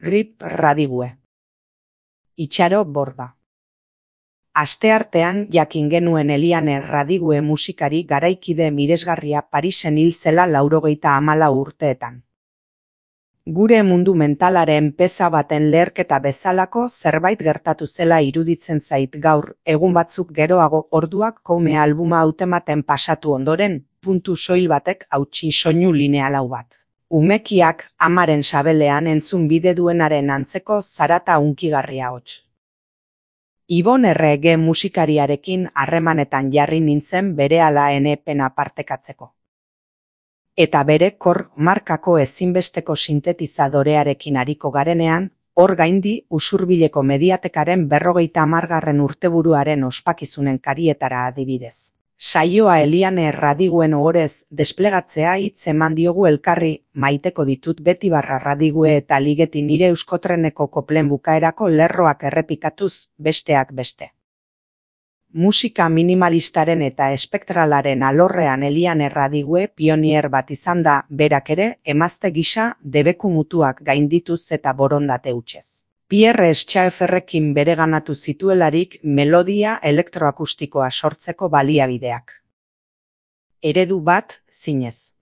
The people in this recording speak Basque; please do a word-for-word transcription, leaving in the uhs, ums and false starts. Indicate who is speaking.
Speaker 1: Rip Radigue. Itxaro Borda. Asteartean jakin genuen Eliane Radigue musikari garaikide miresgarria Parisen hil zela laurogeita hamalau urteetan. Gure mundu mentalaren peza baten leherketa bezalako zerbait gertatu zela iruditzen zait gaur, egun batzuk geroago orduak koume albuma hautematen pasatu ondoren, puntu soil batek hautsi soinu lineal hau bat. Umekiak amaren sabelean entzun bide duenaren antzeko zarata hunkigarria hots. Ibon Errege musikariarekin harremanetan jarri nintzen berehala ene pena partekatzeko. Eta bere kor markako ezinbesteko sintetizadorearekin ariko garenean, hor gaindi usurbileko mediatekaren berrogeita hamargarren urteburuaren ospakizunen karietara adibidez. Saioa Eliane Radiguen ohorez desplegatzea hitz eman diogu elkarri, maiteko ditut beti barra Radigue eta Ligeti nire euskotreneko koplen bukaerako lerroak errepikatuz, besteak beste. Musika minimalistaren eta espektralaren alorrean Eliane Radigue pionier bat izan da, berak ere, emazte gisa debeku mutuak gaindituz eta borondate hutsez. Pierre Schaefferrekin bereganatu zituelarik melodia elektroakustikoa sortzeko baliabideak. Eredu bat, zinez.